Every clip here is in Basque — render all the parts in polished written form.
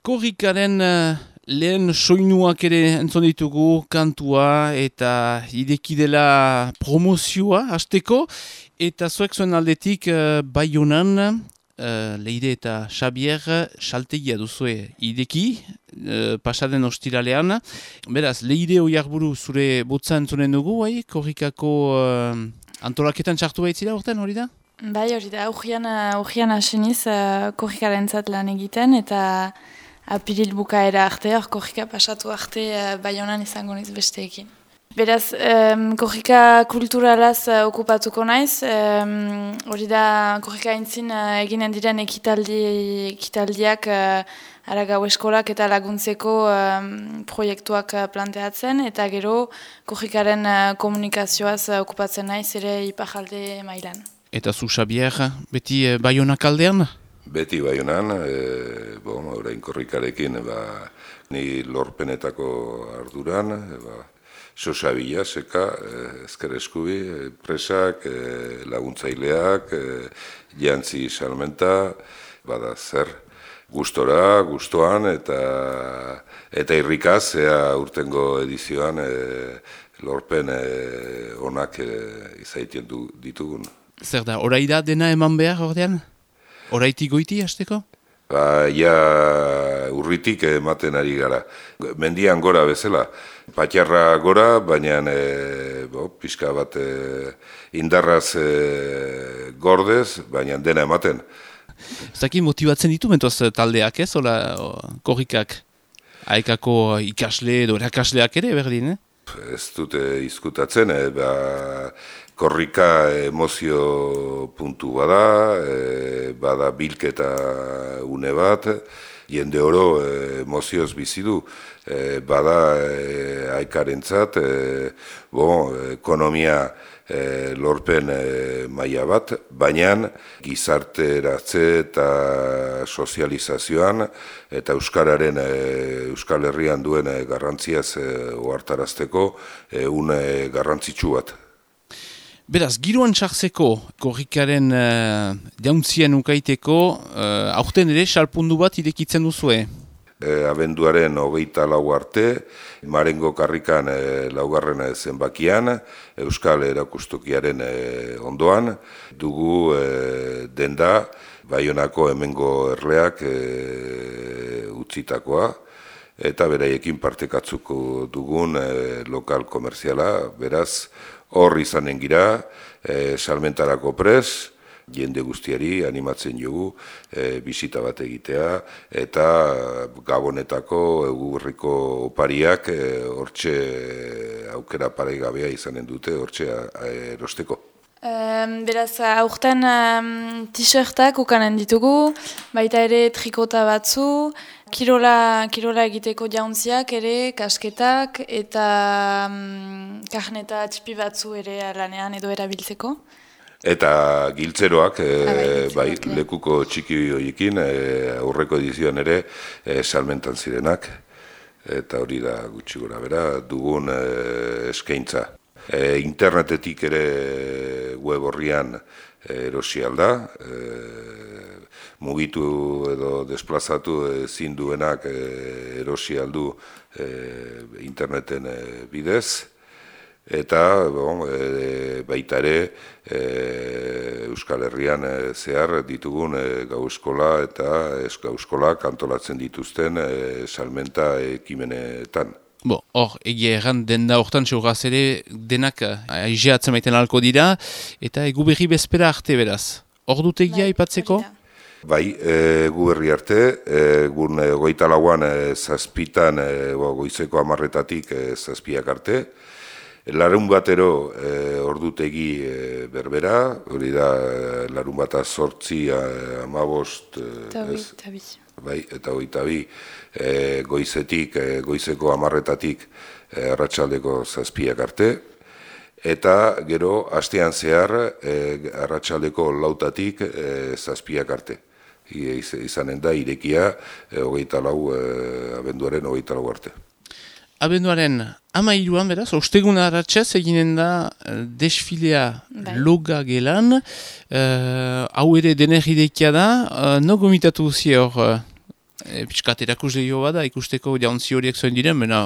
Korrikaren lehen soinuak ere entzun ditugu, kantua eta ideki dela promozioa hasteko, eta zuek zuen aldetik Baionan, Leire eta Xabier saltegia duzue ideki, pasaden ostiralean. Beraz, Leire Oiarburu zure botza entzunen dugu, korrikako antolaketan txartu baitzira urten, hori da? Bai, hori da, urgian aseniz korrikaren zat lan egiten, eta apiril bukaera arte, korrika pasatu arte Baionan izango niz besteekin. Beraz, korrika kulturalaz okupatuko naiz, hori da korrika aintzin eginen diren ekitaldiak Aragao eskolak eta laguntzeko proiektuak planteatzen, eta gero korrikaren komunikazioaz okupatzen naiz ere iparralde mailan. Eta zu, Xabier, beti Baionak aldean? Beti Baionan, orain korrikarekin ni lorpenetako arduran, Sosa Bila, seka, ezker eskubi, presak, laguntzaileak, jantzi salmenta, bada zer, gustoan eta irrikaz, urtengo edizioan lorpen onak izaiten ditugun. Zer da, orai da dena eman behar ordean? Oraitik goiti hasteko? Urritik ematen ari gara. Mendian gora bezala. Patxarra gora, baina pixka bat indarraz gordez, baina dena ematen. Zaki motibatzen ditu mentoz taldeak ez, korrikak? Aekako ikasle edo erakasleak ere berdin, Ez dute izkutatzen, korrika emozio puntu bada bilketa une bat, jende oro emozioz bizi du, bada aekarentzat, ekonomia lorpen maila bat, baina gizarteratze eta sozializazioan eta Euskararen Euskal Herrian duen garrantziaz ohartarazteko une garrantzitsu bat. Beraz, giroan txartzeko korrikaren jauntzien ukaiteko, aurten ere salpundu bat irekitzen duzue? Abenduaren 24 arte, Marengo karrikan laugarren zenbakian, Euskal Erakustokiaren ondoan, dugu denda Baionako hemengo erleak utzitakoa, eta beraiekin partekatzuko dugun lokal komerziala, beraz, hor izanen gira, salmentarako pres, jende guztiari animatzen dugu bisita bat egitea, eta Gabonetako egurriko opariak hortxe aukera paregabea izanen dute hortxe erosteko. Beraz, aurten t-shirtak ukanen ditugu, baita ere trikota batzu, kirola egiteko jauntziak ere, kasketak, eta karneta txipi batzu ere lanean edo erabiltzeko. Eta giltzeroak, lekuko txiki horiekin, aurreko edizioan ere salmentan zirenak, eta hori da gutxi gora bera, dugun eskaintza. Internetetik ere web horrian erosi alda, mugitu edo desplazatu ezin duenak erosi aldu interneten bidez, eta baita ere Euskal Herrian zehar ditugun gau eskola eta gau eskolak antolatzen dituzten salmenta ekimenetan. Hor, egia erran denda hortan txurraz ere denak aizeatzen maiten alko dira, eta egu berri bezpera arte beraz. Hor dut egia ipatzeko? Bai, egu berri arte, egun 24an zazpitan, goizeko 10:00-tatik zazpiak arte. Larun batero ordutegi berbera, hori da larun bata 8, 15, bai, eta 22 goizeko 10:00-tatik arratsaldeko zazpiak arte, eta gero astean zehar arratsaldeko 4:00-tatik zazpiak arte. Izanen da irekia abenduaren 24 arte. Abenduaren 13an, beraz, ostegun arratsez eginen da desfilea loga gelan. Hau ere denerridekia da, no gomitatu duzi hor Piskat erakusle jo bada, ikusteko jauntzi horiek zuen diren, bena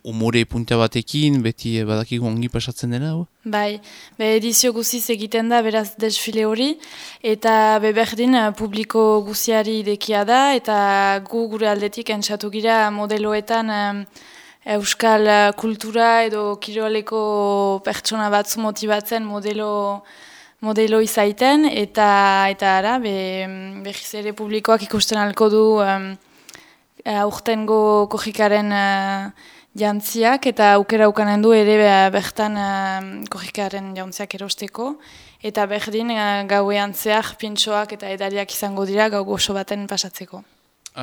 umore punta batekin, beti badakigu ongi pasatzen dena, hau? Bai, edizio guziz egiten da, beraz, desfile hori, eta berdin publiko guziari idekia da, eta gure aldetik entzatu gira modeloetan euskal kultura edo kiroleko pertsona batzu motibatzen modelo izaiten, eta ara, behiz ere publikoak ikusten alko du aurtengo kojikaren jantziak, eta aukera ukanen du ere bertan kojikaren jantziak erosteko, eta berdin gauean zehar pintxoak eta edariak izango dira gau gozo baten pasatzeko.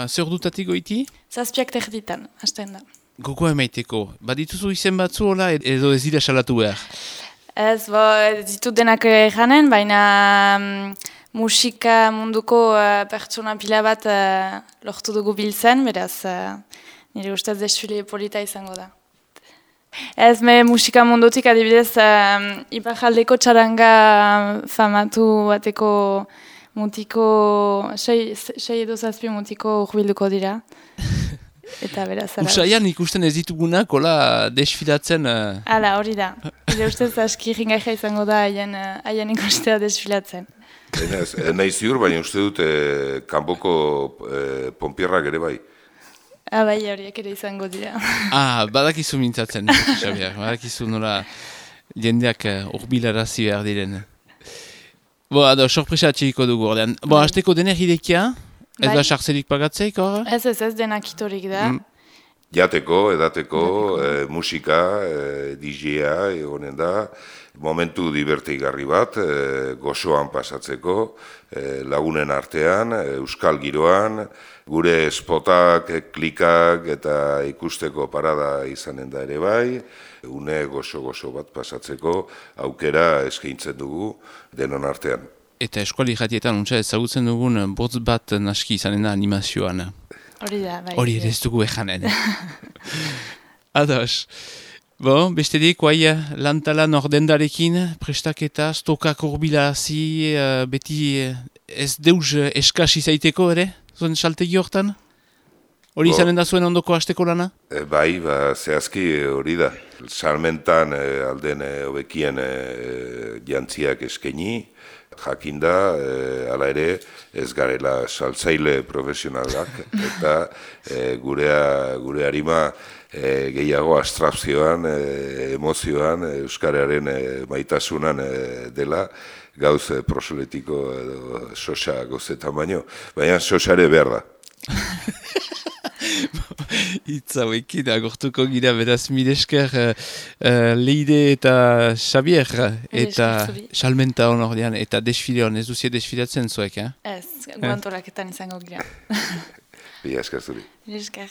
Zer dutatik goiti? 7:00 hasten da. Gogoa emaiteko, badituzu izen batzu hola edo ez dira salatu behar? Ez ditut denak janen, baina musika munduko pertsona pila bat lortu dugu biltzen, beraz nire ustez desfile polita izango da. Ez musika mundutik adibidez Iparraldeko txaranga famatu bateko mutiko, 6 edo 7 mutiko urbilduko dira. Eta beraz, Usaian ikusten ez ditugunak, hola, desfilatzen... Hala, hori da. Ire ustez aski ringaia izango da haien ikustea desfilatzen. Nahi ziur, baina uste dut kanpoko ponpierrak ere bai. Bai, horiek ere izango dira. Badakizu mintzatzen, Xabier, badakizu nola jendeak urbilarazi behar diren. Sorpresa atxiriko dugu ordean. Hasteko dener idekia? Ez da sartzerik pagatzeik, hor? Ez, denak itorik da. Jateko, edateko, musika, DJ-a, egonen da, momentu divertigarri bat, gozoan pasatzeko, lagunen artean, euskal giroan, gure spotak, klikak eta ikusteko parada izanen da ere bai, une gozo bat pasatzeko aukera eskaintzen dugu denon artean. Eta eskuali jatietan untsa ezagutzen dugun botz bat naski izanen da animazioan. Hori da, bai. Hori ere ez dugu ejanen. Ados. Bestedik, guai lantalan ordendarekin, prestaketa, stokak urbila-hazi, beti ez deuz eskasi zaiteko ere, zuen saltegi hortan? Hori izanen da zuen ondoko hasteko lana? Bai, zehazki hori da. Salmentan alden hobekien jantziak eskaini, jakinda, hala ere, ez garela saltzaile profesionalak, eta gure harima gehiago abstrakzioan, emozioan, euskararen maitasunan dela, gauz prosoletiko edo sosa gozetan baino, baina sosare behar da. Itza hauekin agortuko gira, beraz milesker Leide eta Xabier eta salmenta honordean eta desfile hon, ez duzie desfilatzen zuek, Ez, guantolaketan izango gira. Bila esker zuri. Milesker.